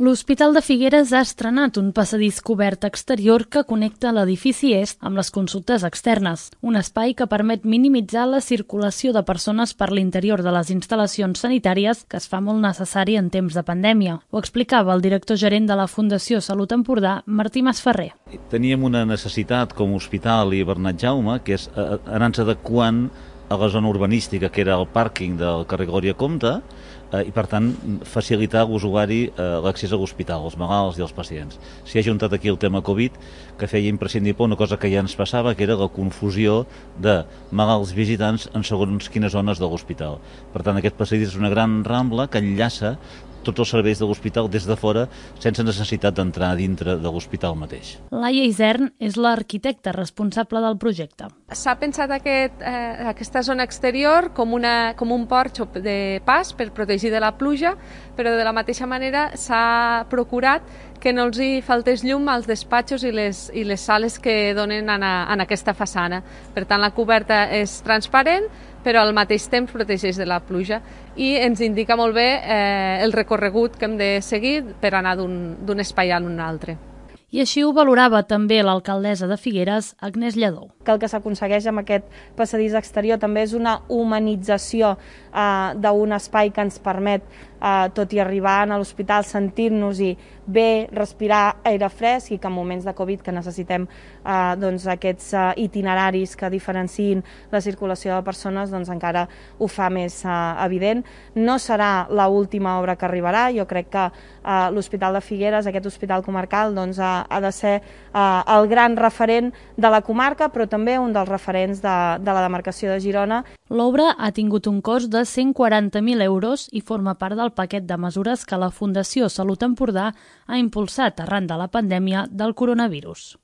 L'Hospital de Figueres ha estrenat un passadís cobert exterior que connecta l'edifici est amb les consultes externes, un espai que permet minimitzar la circulació de persones per l'interior de les instal·lacions sanitàries que es fa molt necessari en temps de pandèmia. Ho explicava el director gerent de la Fundació Salut Empordà, Martí Masferrer. Teníem una necessitat com a hospital i Bernat Jaume, que és anar-nos adequant a la zona urbanística, que era el pàrquing del carrer Glòria Comte, i per tant facilitar a l'usuari l'accés a l'hospital, els malalts i els pacients. S'hi ha juntat aquí el tema Covid, que feia imprescindible una cosa que ja ens passava, que era la confusió de malalts visitants en segons quines zones de l'hospital. Per tant, aquest passadís és una gran rambla que enllaça tots els serveis de l'hospital des de fora sense necessitat d'entrar dintre de l'hospital mateix. Laia Isern és l'arquitecta responsable del projecte. S'ha pensat aquesta zona exterior com un porxo de pas per protegir de la pluja, però de la mateixa manera s'ha procurat que no els hi faltés llum als despatxos i les sales que donen en aquesta façana. Per tant, la coberta és transparent, però al mateix temps protegeix de la pluja i ens indica molt bé el recorregut que hem de seguir per anar d'un espai a un altre. I així ho valorava també l'alcaldessa de Figueres, Agnès Lledó. Que el que s'aconsegueix amb aquest passadís exterior també és una humanització d'un espai que ens permet, tot i arribar a l'hospital, sentir-nos-hi bé, respirar aire fresc i que en moments de Covid que necessitem aquests itineraris que diferenciïn la circulació de persones, doncs encara ho fa més evident. No serà l'última obra que arribarà, jo crec que l'Hospital de Figueres, aquest hospital comarcal, doncs, ha de ser el gran referent de la comarca, però també un dels referents de la demarcació de Girona. L'obra ha tingut un cost de 140.000 euros i forma part del paquet de mesures que la Fundació Salut Empordà ha impulsat arran de la pandèmia del coronavirus.